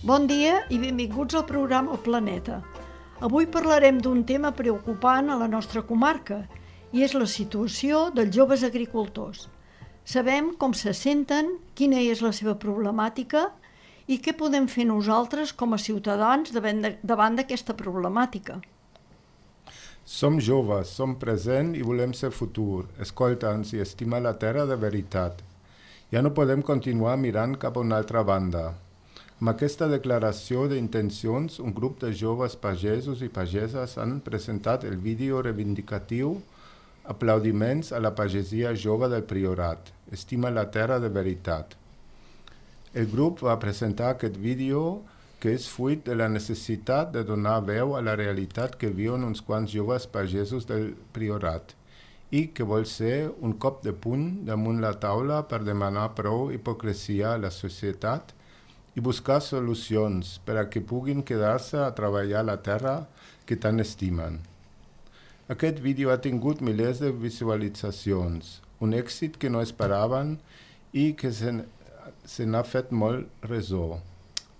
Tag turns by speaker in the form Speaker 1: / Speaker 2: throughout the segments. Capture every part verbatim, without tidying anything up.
Speaker 1: Bon dia i benvinguts al programa El Planeta. Avui parlarem d'un tema preocupant a la nostra comarca i és la situació dels joves agricultors. Sabem com se senten, quina és la seva problemàtica i què podem fer nosaltres com a ciutadans davant d'aquesta problemàtica.
Speaker 2: Som joves, som present i volem ser futur, escolta'ns i estimar la terra de veritat. Ja no podem continuar mirant cap a una altra banda. Amb aquesta declaració d'intencions, un grup de joves pagesos i pageses han presentat el vídeo reivindicatiu Aplaudiments a la pagesia jove del Priorat, estima la terra de veritat. El grup va presentar aquest vídeo que és fruit de la necessitat de donar veu a la realitat que viuen uns quants joves pagesos del Priorat i que vol ser un cop de puny damunt la taula per demanar prou hipocresia a la societat i buscar solucions per a que puguin quedar-se a treballar la terra que tant estimen. Aquest vídeo ha tingut milers de visualitzacions, un èxit que no esperaven i que se, se n'ha fet molt ressò.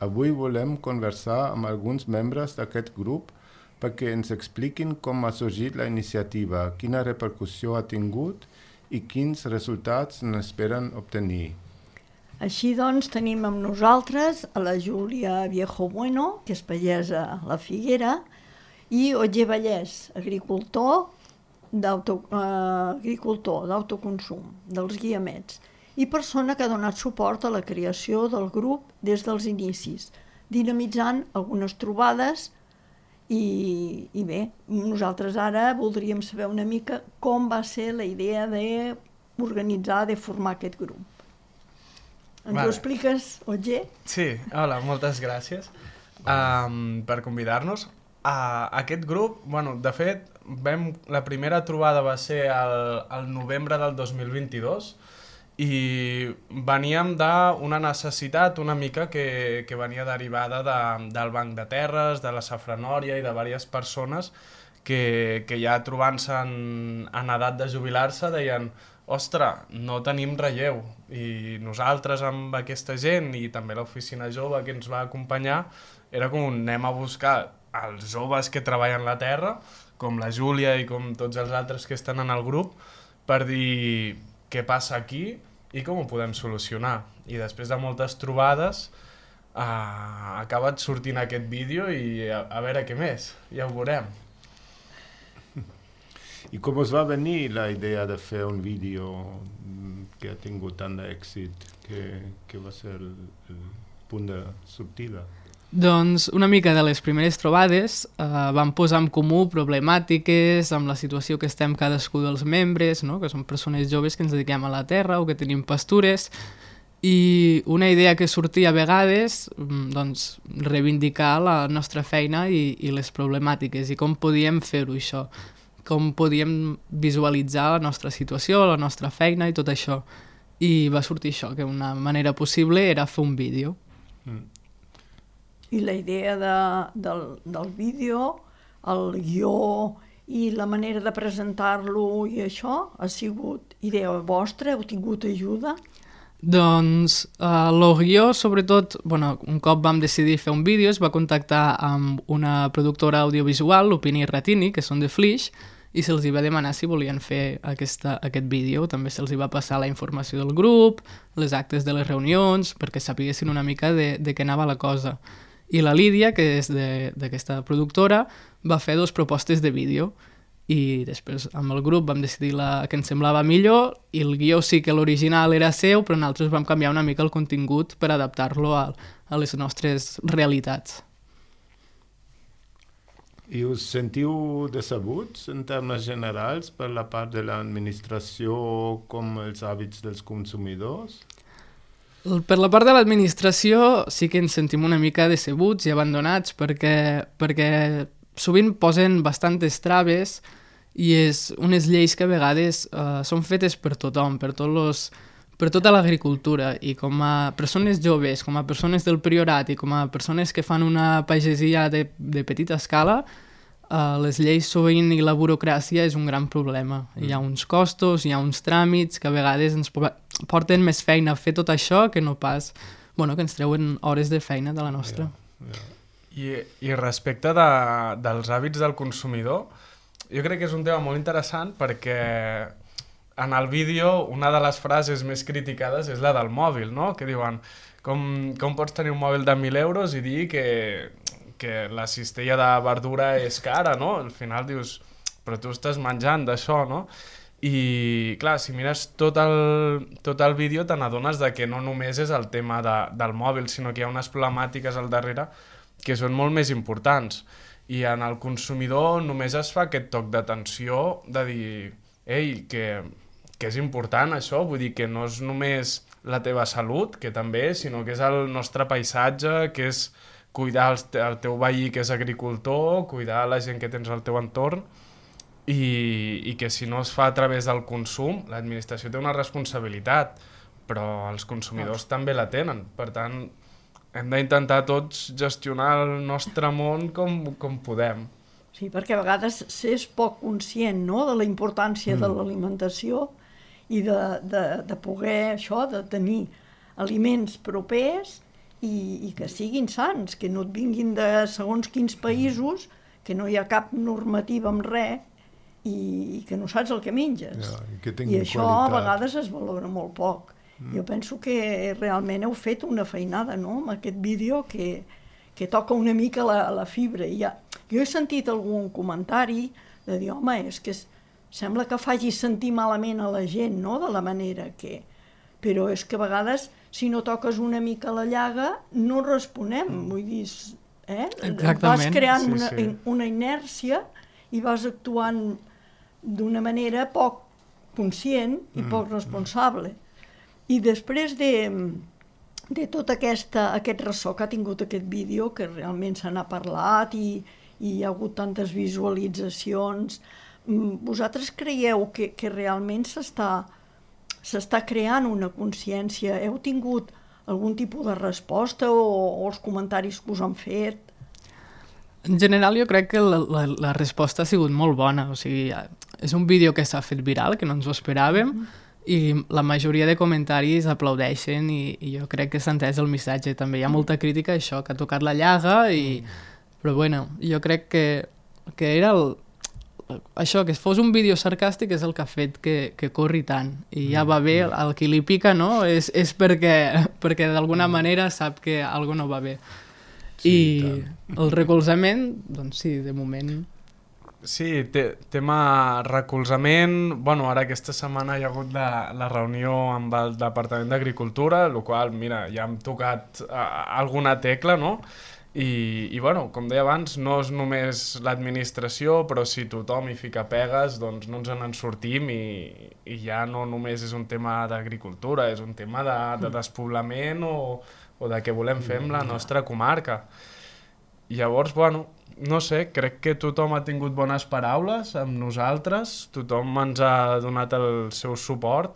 Speaker 2: Avui volem conversar amb alguns membres d'aquest grup perquè ens expliquin com ha sorgit la iniciativa, quina repercussió ha tingut i quins resultats n'esperen obtenir.
Speaker 1: Així doncs tenim amb nosaltres a la Júlia Viejo Bueno, que és pagesa a la Figuera, i Otger Vallès, agricultor d'auto, eh, agricultor d'autoconsum, dels Guiamets, i persona que ha donat suport a la creació del grup des dels inicis, dinamitzant algunes trobades i, i bé, nosaltres ara voldríem saber una mica com va ser la idea d'organitzar, de formar aquest grup. Ens vale. Ho expliques, Otger?
Speaker 3: Sí, hola, moltes gràcies um, per convidar-nos. Uh, aquest grup, bueno, de fet, vam, la primera trobada va ser al, al novembre del dos mil vint-i-dos i veníem d'una necessitat una mica que, que venia derivada de, del Banc de Terres, de la Safranòria i de diverses persones que, que ja trobant-se en, en edat de jubilar-se deien ostres, no tenim relleu i nosaltres amb aquesta gent i també l'oficina jove que ens va acompanyar era com un anem a buscar els joves que treballen la terra, com la Júlia i com tots els altres que estan en el grup, per dir què passa aquí i com ho podem solucionar. I després de moltes trobades eh, ha acabat sortint aquest vídeo i a, a veure què més, ja ho veurem.
Speaker 2: I com us va venir la idea de fer un vídeo que ha tingut tant d'èxit, que, que va ser el, el punt de sortida?
Speaker 4: Doncs una mica de les primeres trobades eh, vam posar en comú problemàtiques amb la situació que estem cadascú dels membres, no? Que som persones joves que ens dediquem a la terra o que tenim pastures, i una idea que sortia a vegades, doncs, reivindicar la nostra feina i, i les problemàtiques i com podíem fer-ho això, com podíem visualitzar la nostra situació, la nostra feina i tot això. I va sortir això, que una manera possible era fer un vídeo.
Speaker 2: Mm.
Speaker 1: I la idea de, del, del vídeo, el guió i la manera de presentar-lo i això ha sigut idea vostra? Heu tingut ajuda?
Speaker 4: Doncs uh, el guió, sobretot, bueno, un cop vam decidir fer un vídeo, es va contactar amb una productora audiovisual, l'Opini Ratini, que són de Flix, i se'ls va demanar si volien fer aquesta, aquest vídeo. També se'ls va passar la informació del grup, les actes de les reunions, perquè sapiguessin una mica de, de què anava la cosa. I la Lídia, que és d'aquesta productora, va fer dues propostes de vídeo i després amb el grup vam decidir la que ens semblava millor i el guió sí que l'original era seu, però nosaltres vam canviar una mica el contingut per adaptar-lo a, a les nostres realitats.
Speaker 2: I us sentiu decebuts en termes generals per la part de l'administració com els hàbits dels consumidors?
Speaker 4: Per la part de l'administració sí que ens sentim una mica decebuts i abandonats perquè, perquè sovint posen bastantes traves i és unes lleis que a vegades eh, són fetes per tothom, per, tots los, per tota l'agricultura, i com a persones joves, com a persones del Priorat i com a persones que fan una pagesia de, de petita escala, Uh, les lleis sovint i la burocràcia és un gran problema. Mm. Hi ha uns costos, hi ha uns tràmits que a vegades ens porten més feina a fer tot això que no pas bueno, que ens treuen hores de feina de la nostra.
Speaker 2: Yeah, yeah.
Speaker 3: I, i respecte de, dels hàbits del consumidor, jo crec que és un tema molt interessant perquè en el vídeo una de les frases més criticades és la del mòbil, no? Que diuen, com, com pots tenir un mòbil de mil euros i dir que, que la cistella de verdura és cara, no? Al final dius, però tu estàs menjant d'això, no? I clar, si mires tot el, tot el vídeo te n'adones de que no només és el tema de, del mòbil, sinó que hi ha unes problemàtiques al darrere que són molt més importants. I en el consumidor només es fa aquest toc d'atenció de dir, ei, que, que és important això, vull dir que no és només la teva salut, que també, sinó que és el nostre paisatge, que és cuidar el, el teu veí que és agricultor, cuidar la gent que tens al teu entorn, i, i que si no es fa a través del consum, l'administració té una responsabilitat, però els consumidors ah. també la tenen. Per tant, hem d'intentar tots gestionar el nostre món com, com podem.
Speaker 1: Sí, perquè a vegades s'és poc conscient, no?, de la importància mm. de l'alimentació i de, de, de poder això, de tenir aliments propers i, i que siguin sants, que no et vinguin de segons quins països, que no hi ha cap normativa amb res i, i que no saps el que menges.
Speaker 2: Ja, i que
Speaker 1: I això
Speaker 2: qualitat.
Speaker 1: A vegades es valora molt poc. Mm. Jo penso que realment heu fet una feinada, no?, amb aquest vídeo que, que toca una mica la, la fibra. I ja, jo he sentit algun comentari de dir, home, és que es, sembla que faci sentir malament a la gent, no?, de la manera que... Però és que a vegades, si no toques una mica la llaga, no responem. Mm. Vull dir, eh?
Speaker 4: Exactament.
Speaker 1: Vas creant
Speaker 3: sí,
Speaker 1: una,
Speaker 3: sí.
Speaker 1: una inèrcia i vas actuant d'una manera poc conscient i mm. poc responsable. I després de, de tot aquesta, aquest ressò que ha tingut aquest vídeo, que realment se n'ha parlat i, i hi ha hagut tantes visualitzacions, vosaltres creieu que, que realment s'està s'està creant una consciència? Heu tingut algun tipus de resposta o, o els comentaris que us han fet?
Speaker 4: En general jo crec que la, la, la resposta ha sigut molt bona. O sigui, és un vídeo que s'ha fet viral, que no ens ho esperàvem, mm. i la majoria de comentaris aplaudeixen i, i jo crec que s'ha entès el missatge. També hi ha molta crítica a això, que ha tocat la llaga, i... mm. però bueno, jo crec que, que era el... això, que fos un vídeo sarcàstic és el que ha fet que, que corri tant. I ja va bé, el qui li pica, no? És, és perquè, perquè d'alguna manera sap que alguna no va bé. Sí, I el recolzament, doncs sí, de moment...
Speaker 3: Sí, te, tema recolzament, bueno, ara aquesta setmana hi ha hagut la, la reunió amb el Departament d'Agricultura, el qual, mira, ja hem tocat uh, alguna tecla, no? I, i bueno, com deia abans, no és només l'administració, però si tothom hi fica pegues, doncs no ens en sortim i, i ja no només és un tema d'agricultura, és un tema de, de despoblament o, o de què volem fer amb la nostra comarca. I llavors, bueno, no sé, crec que tothom ha tingut bones paraules amb nosaltres, tothom ens ha donat el seu suport.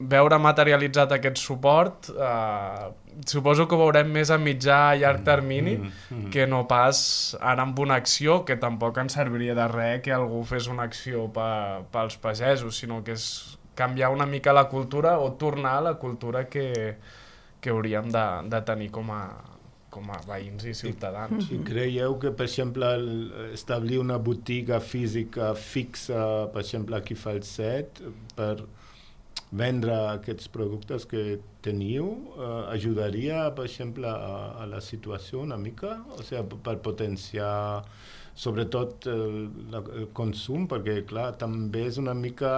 Speaker 3: Veure materialitzat aquest suport, eh, suposo que ho veurem més a mitjà i llarg termini mm, mm, mm. que no pas ara amb una acció, que tampoc ens serviria de res que algú fes una acció pa, pels pagesos, sinó que és canviar una mica la cultura o tornar a la cultura que, que hauríem de, de tenir com a, com a veïns i ciutadans.
Speaker 2: I, I creieu que, per exemple, el, establir una botiga física fixa, per exemple, aquí a Falset, per vendre aquests productes que teniu, eh, ajudaria, per exemple, a, a la situació una mica? O sigui, per potenciar sobretot el, el consum, perquè, clar, també és una mica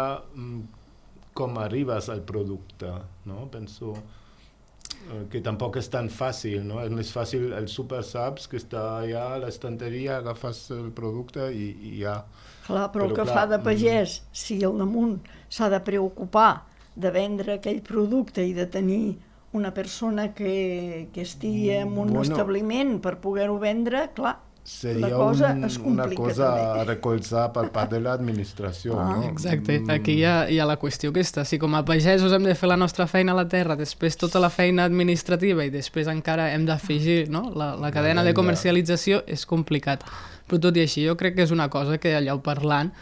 Speaker 2: com arribes al producte, no? Penso eh, que tampoc és tan fàcil, no? És més fàcil el super saps que està allà a l'estanteria, agafes el producte i, i ja...
Speaker 1: Clar, però, però el que clar, fa de pagès, mm... si al damunt s'ha de preocupar de vendre aquell producte i de tenir una persona que, que estigui en un bueno, establiment per poder-ho vendre, clar,
Speaker 2: seria
Speaker 1: la cosa
Speaker 2: un,
Speaker 1: es complica
Speaker 2: una cosa
Speaker 1: també.
Speaker 2: A recolzar per part de l'administració.
Speaker 1: Ah,
Speaker 2: no?
Speaker 4: Exacte, aquí hi ha, hi ha la qüestió aquesta. Si com a pagesos hem de fer la nostra feina a la terra, després tota la feina administrativa i després encara hem d'afegir, no? la, la cadena de comercialització, és complicat. Però tot i així, jo crec que és una cosa que allò parlant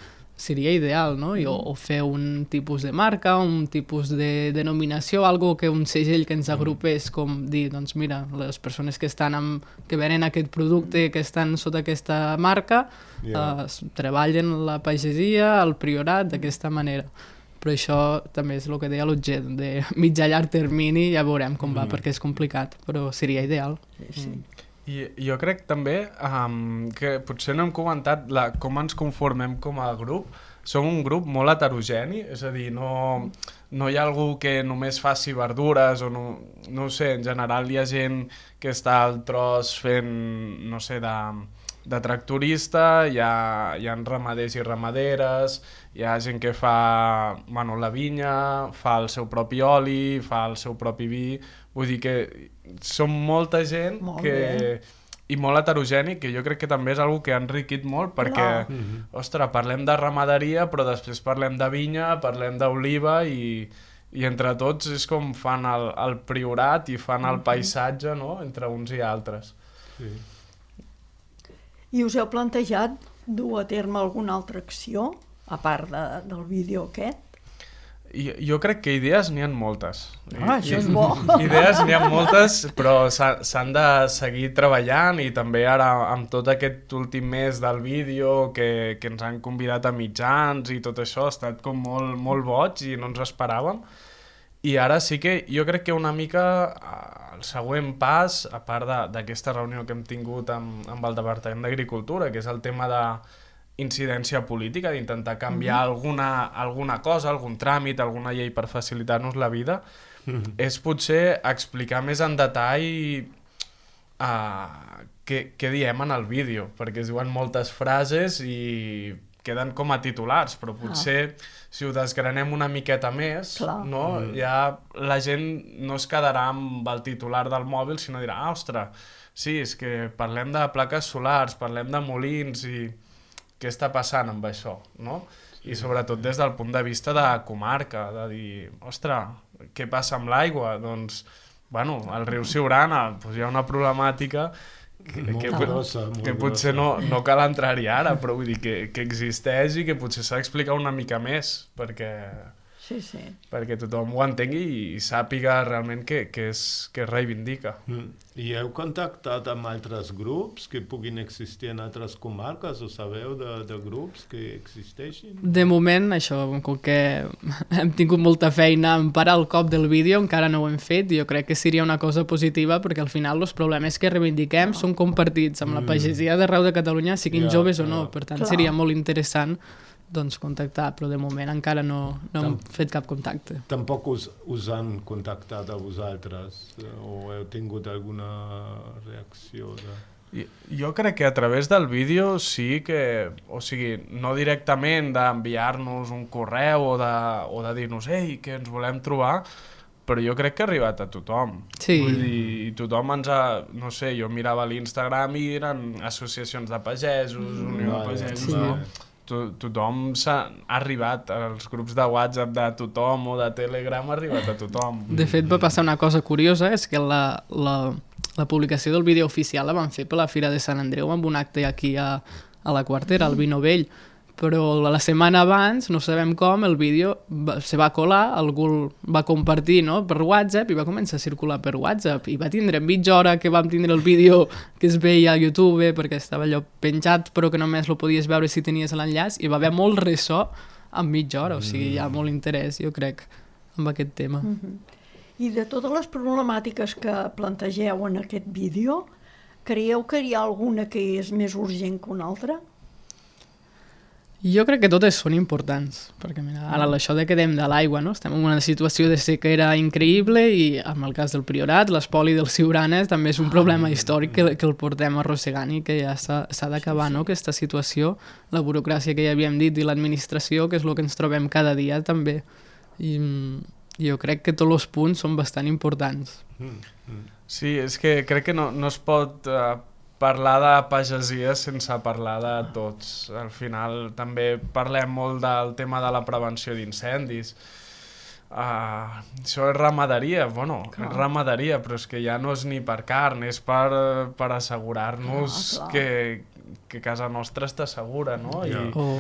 Speaker 4: seria ideal, no? I, o, o fer un tipus de marca, un tipus de denominació, algo que un segell que ens agrupés, com dir, doncs mira, les persones que estan amb, que venen aquest producte, que estan sota aquesta marca, yeah. eh, treballen la pagesia, el priorat, d'aquesta manera. Però això també és el que deia l'objecte, de mitjà llarg termini, ja veurem com va, mm. perquè és complicat, però seria ideal.
Speaker 1: Sí, sí.
Speaker 3: Mm. I jo crec també um, que potser no hem comentat la, com ens conformem com a grup. Som un grup molt heterogeni, és a dir, no, no hi ha algú que només faci verdures o no, no ho sé, en general hi ha gent que està al tros fent, no sé, de, de tractorista, hi ha, hi ha ramaders i ramaderes, hi ha gent que fa, bueno, la vinya, fa el seu propi oli, fa el seu propi vi, vull dir que som molta gent
Speaker 1: molt
Speaker 3: que...
Speaker 1: bé.
Speaker 3: I molt heterogènic, que jo crec que també és una que ha enriquit molt, perquè,
Speaker 1: mm-hmm.
Speaker 3: ostres, parlem de ramaderia, però després parlem de vinya, parlem d'oliva, i, i entre tots és com fan el, el priorat i fan el paisatge, no?, entre uns i altres.
Speaker 2: Sí.
Speaker 1: I us heu plantejat dur a terme alguna altra acció, a part de, del vídeo aquest?
Speaker 3: I, jo crec que idees n'hi ha moltes.
Speaker 1: Ah,
Speaker 3: I,
Speaker 1: això és bo.
Speaker 3: Idees n'hi ha moltes, però s'han de seguir treballant, i també ara amb tot aquest últim mes del vídeo que, que ens han convidat a mitjans i tot això ha estat com molt, molt boig i no ens esperàvem. I ara sí que jo crec que una mica el següent pas, a part d'aquesta reunió que hem tingut amb, amb el Departament d'Agricultura, que és el tema de incidència política, d'intentar canviar mm-hmm. alguna, alguna cosa, algun tràmit, alguna llei per facilitar-nos la vida, mm-hmm. és potser explicar més en detall uh, què, què diem en el vídeo, perquè es diuen moltes frases i queden com a titulars, però potser ah. si ho desgranem una miqueta més, no? mm. ja la gent no es quedarà amb el titular del mòbil, sinó dirà, ah, ostres, sí, és que parlem de plaques solars, parlem de molins i què està passant amb això, no? I sobretot des del punt de vista de comarca, de dir, ostres, què passa amb l'aigua? Doncs, bueno, al riu Siurana doncs hi ha una problemàtica que, que,
Speaker 2: grossa,
Speaker 3: que potser no, no cal entrar-hi ara, però vull dir que, que existeix i que potser s'ha d'explicar una mica més, perquè...
Speaker 1: Sí, sí.
Speaker 3: perquè tothom ho entengui i sàpiga realment què, què, és, què reivindica.
Speaker 2: Mm. I heu contactat amb altres grups que puguin existir en altres comarques? Ho sabeu de, de grups que existeixin?
Speaker 4: De moment, això, com que hem tingut molta feina en parar el cop del vídeo, encara no ho hem fet, i jo crec que seria una cosa positiva, perquè al final els problemes que reivindiquem són compartits amb la pagesia d'arreu de Catalunya, siguin
Speaker 2: ja,
Speaker 4: joves o no,
Speaker 2: ja.
Speaker 4: per tant
Speaker 1: Clar.
Speaker 4: seria molt interessant doncs contactar, però de moment encara no, no hem fet cap contacte.
Speaker 2: Tampoc us, us han contactat a vosaltres o heu tingut alguna reacció? De...
Speaker 3: Jo crec que a través del vídeo sí que, o sigui, no directament d'enviar-nos un correu o de, o de dir-nos, ei, que ens volem trobar, però jo crec que ha arribat a tothom.
Speaker 4: Sí.
Speaker 3: Vull dir, tothom ens ha... No sé, jo mirava l'Instagram i eren associacions de pagesos, mm, Unió de Pagesos,
Speaker 4: sí.
Speaker 3: no? Tothom s'ha arribat, als grups de WhatsApp de tothom o de Telegram ha arribat a tothom.
Speaker 4: De fet, va passar una cosa curiosa, és que la, la, la publicació del vídeo oficial la van fer per la Fira de Sant Andreu amb un acte aquí a, a la Quartera, al Vino Vell, però la setmana abans, no sabem com, el vídeo va, se va colar, algú el va compartir, no?, per WhatsApp i va començar a circular per WhatsApp i va tindre mitja hora que vam tindre el vídeo que es veia a YouTube perquè estava allò penjat però que només lo podies veure si tenies l'enllaç i va haver molt ressò en mitja hora, o sigui, hi ha molt interès, jo crec, amb aquest tema.
Speaker 1: Mm-hmm. I de totes les problemàtiques que plantegeu en aquest vídeo, creieu que hi ha alguna que és més urgent que una altra?
Speaker 4: Jo crec que totes són importants, perquè mira, ara això de quedem de l'aigua, no? Estem en una situació de sequera increïble i en el cas del Priorat, l'espoli dels Siuranes també és un problema històric que, que el portem arrossegant i que ja s'ha d'acabar, no?, aquesta situació, la burocràcia que ja havíem dit i l'administració, que és el que ens trobem cada dia també. I jo crec que tots els punts són bastant importants.
Speaker 3: Sí, és que crec que no, no es pot... Uh, parlar de pagesia sense parlar de tots. Al final també parlem molt del tema de la prevenció d'incendis. Uh, això és ramaderia, bueno, clar. És ramaderia, però és que ja no és ni per carn, és per, per assegurar-nos que, que casa nostra està segura, no? I,
Speaker 4: oh.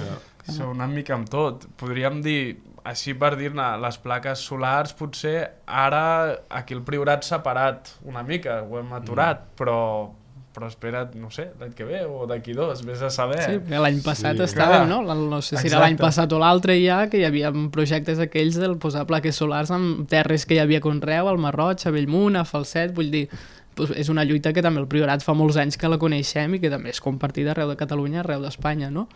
Speaker 3: Això una mica amb tot. Podríem dir, així per dir-ne, les plaques solars potser ara aquí el Priorat s'ha parat una mica, ho hem aturat, mm. però... però espera't, no sé, l'any que ve o d'aquí dos, vés a saber.
Speaker 4: Sí, perquè l'any passat
Speaker 3: sí.
Speaker 4: estàvem, no? No sé si
Speaker 3: Exacte.
Speaker 4: era l'any passat o l'altre ja, que hi havia projectes aquells del posar plaques solars en terres que hi havia conreu, al Marroig, a Bellmunt, a Falset, vull dir, doncs és una lluita que també el Priorat fa molts anys que la coneixem i que també és compartida arreu de Catalunya, arreu d'Espanya, no?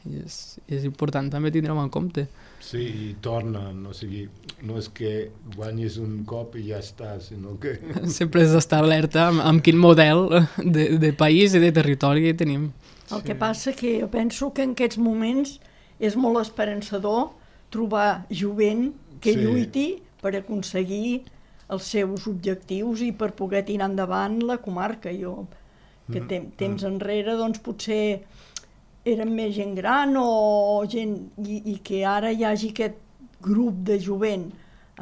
Speaker 4: I és, és important també tindre-ho en compte.
Speaker 2: Sí, i tornen, o sigui, no és que guanyis un cop i ja està, sinó que...
Speaker 4: Sempre has d'estar alerta amb, amb quin model de, de país i de territori tenim.
Speaker 1: El sí. que passa que jo penso que en aquests moments és molt esperançador trobar jovent que sí. lluiti per aconseguir els seus objectius i per poder tirar endavant la comarca. Jo, que tem, temps enrere, doncs potser eren més gent gran o gent... I, i que ara hi hagi aquest grup de jovent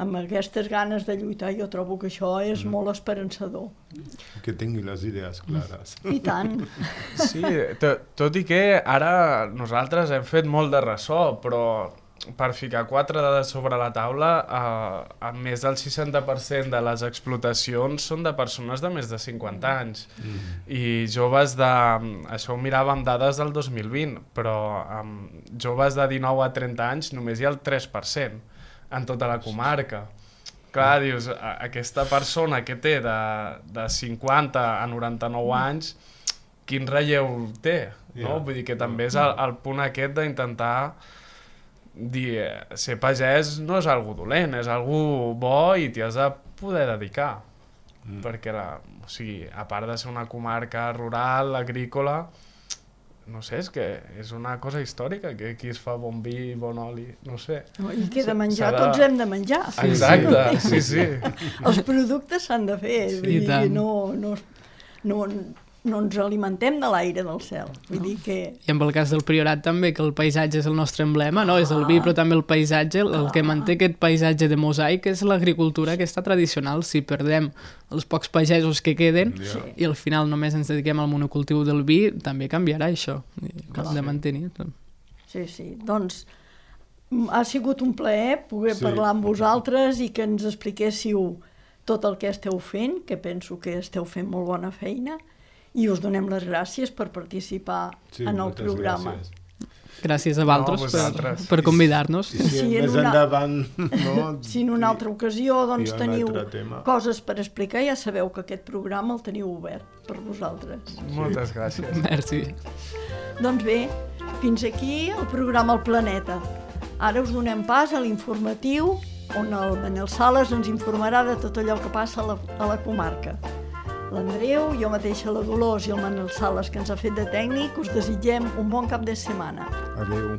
Speaker 1: amb aquestes ganes de lluitar, jo trobo que això és mm. molt esperançador.
Speaker 2: Que tingui les idees clares.
Speaker 1: I tant.
Speaker 3: Sí, tot, tot i que ara nosaltres hem fet molt de ressò, però per ficar quatre dades sobre la taula, eh, més del seixanta per cent de les explotacions són de persones de més de cinquanta anys. Mm. I joves de... Això ho miràvem dades del dos mil vint, però amb joves de dinou a trenta anys només hi ha el tres per cent en tota la comarca. Clar, dius, aquesta persona que té de, de cinquanta a noranta-nou anys, quin relleu té? No? Yeah. Vull dir que també és el, el punt aquest d'intentar dir, ser pagès no és algo dolent, és algo bo i t'hi has de poder dedicar. Mm. Perquè, la, o sigui, a part de ser una comarca rural, agrícola, no sé, és que és una cosa històrica, que aquí es fa bon vi, bon oli, no sé.
Speaker 1: I que de menjar, de... tots hem de menjar.
Speaker 3: Sí, exacte, sí, sí.
Speaker 1: Els productes s'han de fer, sí, vull dir, no, no, no, no ens alimentem de l'aire del cel. Vull dir que...
Speaker 4: I en el cas del Priorat també, que el paisatge és el nostre emblema, no? És el vi, però també el paisatge, el, el que manté aquest paisatge de mosaic és l'agricultura aquesta tradicional. Si perdem els pocs pagesos que queden sí. i al final només ens dediquem al monocultiu del vi, també canviarà això. Hem de mantenir.
Speaker 1: Sí, sí. Doncs ha sigut un plaer poder sí. parlar amb vosaltres i que ens expliquéssiu tot el que esteu fent, que penso que esteu fent molt bona feina, i us donem les gràcies per participar sí, en el programa.
Speaker 2: Gràcies.
Speaker 4: Gràcies a vosaltres no, per, per convidar-nos.
Speaker 2: I si, si més una... endavant... No,
Speaker 1: si en una altra ocasió doncs, teniu coses per explicar, ja sabeu que aquest programa el teniu obert per vosaltres.
Speaker 3: Sí. Moltes gràcies.
Speaker 4: Merci.
Speaker 1: Doncs bé, fins aquí el programa El Planeta. Ara us donem pas a l'informatiu, on el Manel Sales ens informarà de tot allò que passa a la, a la comarca. L'Andreu, jo mateixa, la Dolors i el Manel Sales, que ens ha fet de tècnic, us desitgem un bon cap de setmana.
Speaker 2: Adéu.